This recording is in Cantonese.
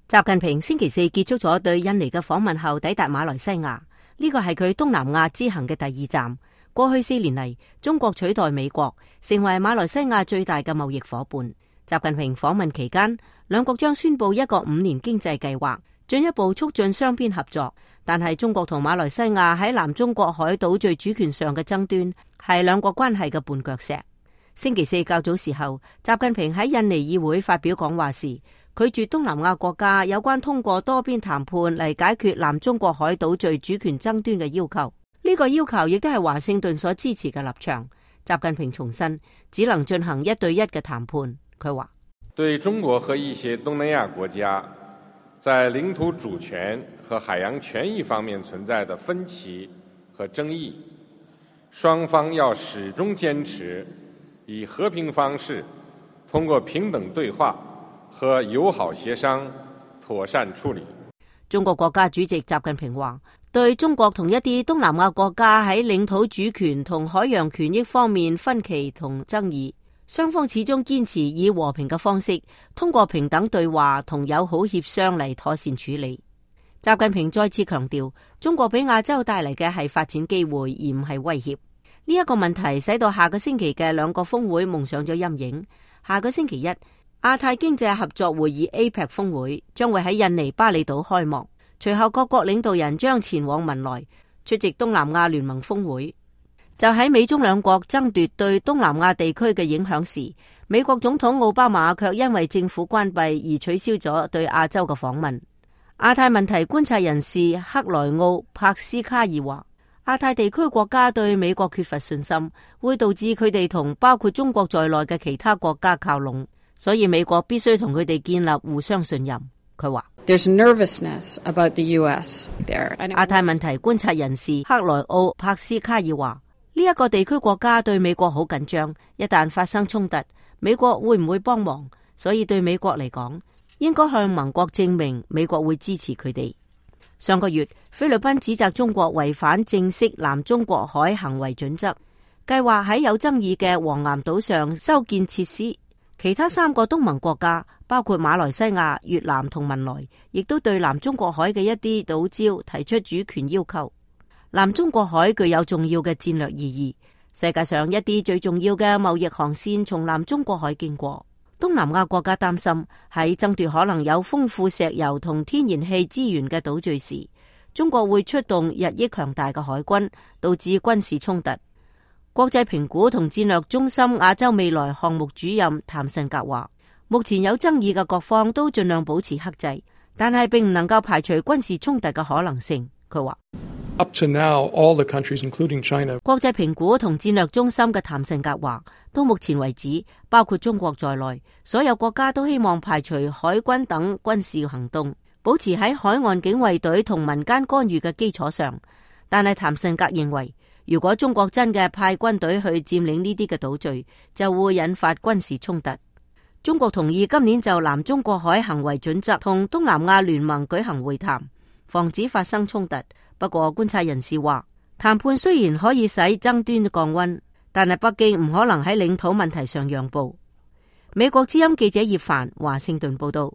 習近平星期四結束咗對印尼嘅訪問後，抵達馬來西亞。呢個係佢東南亞之行嘅第2站。過去4年嚟，中國取代美國成為馬來西亞最大嘅貿易夥伴。習近平訪問期間，兩國將宣布一個5年經濟計劃，進一步促進雙邊合作。但係中國同馬來西亞喺南中國海島嶼主權上嘅爭端，係兩國關係嘅絆腳石。星期四較早時候，習近平喺印尼議會發表講話時，拒絕東南亞國家有關通過多邊談判嚟解決南中國海島嶼主權爭端嘅要求。呢個要求亦都係華盛頓所支持嘅立場。習近平重申，只能進行1對1嘅談判。佢話：對中國和一些東南亞國家在領土主權和海洋權益方面存在的分歧和爭議，雙方要始終堅持以和平方式，通過平等對話和友好協商妥善處理。中國國家主席習近平話，對中國同一啲東南亞國家喺領土主權同海洋權益方面分歧同爭議，雙方始終堅持以和平嘅方式，通過平等對話同友好協商嚟妥善處理。習近平再次強調，中國俾亞洲帶嚟嘅係發展機會，而唔係威脅。呢一個問題使到下個星期嘅兩個峰會蒙上咗陰影。下個星期一，亞太經濟合作會議 APEC 峰會將會喺印尼巴厘島開幕，隨後各國領導人將前往文萊出席東南亞聯盟峰會。就喺美中兩國爭奪對東南亞地區嘅影響時，美國總統奧巴馬卻因為政府關閉而取消咗對亞洲嘅訪問。亞太問題觀察人士克萊奧帕斯卡爾話，亞太地區國家對美國缺乏信心，會導致佢哋同包括中國在內嘅其他國家靠攏，所以美國必須同佢哋建立互相信任。佢話：There's nervousness about the US there. 亞太問題觀察人士克萊奧帕斯卡爾話，呢一個地區國家對美國好緊張，一旦發生衝突，美國會唔會幫忙？所以對美國嚟講，應該向盟國證明美國會支持佢哋。上個月，菲律賓指責中國違反正式南中國海行為準則，計劃喺有爭議嘅黃岩島上修建設施。其他3個東盟國家，包括馬來西亞、越南同文萊，亦都對南中國海嘅一啲島礁提出主權要求。南中國海具有重要嘅戰略意義，世界上一啲最重要嘅貿易航線從南中國海經過。東南亞國家擔心喺爭奪可能有豐富石油同天然氣資源嘅島嶼時，中國會出動日益強大嘅海軍，導致軍事衝突。國際評估同戰略中心亞洲未來項目主任譚慎格話，目前有爭議嘅各方都盡量保持克制，但係並唔能夠排除軍事衝突嘅可能性。佢話：Up to now, all the countries, including China. 國際評估同戰略中心嘅譚慎格話，到目前為止，包括中國在內，所有國家都希望排除海軍等軍事行動，保持喺海岸警衛隊同民間干預嘅基礎上。但係譚慎格認為，如果中國真嘅派軍隊去佔領呢啲嘅島嶼，就會引發軍事衝突。中國同意今年就南中國海行為準則同東南亞聯盟舉行會談，防止發生衝突。不過觀察人士話，談判雖然可以使爭端降溫，但係北京唔可能喺領土問題上讓步。美國之音記者葉凡華盛頓報道。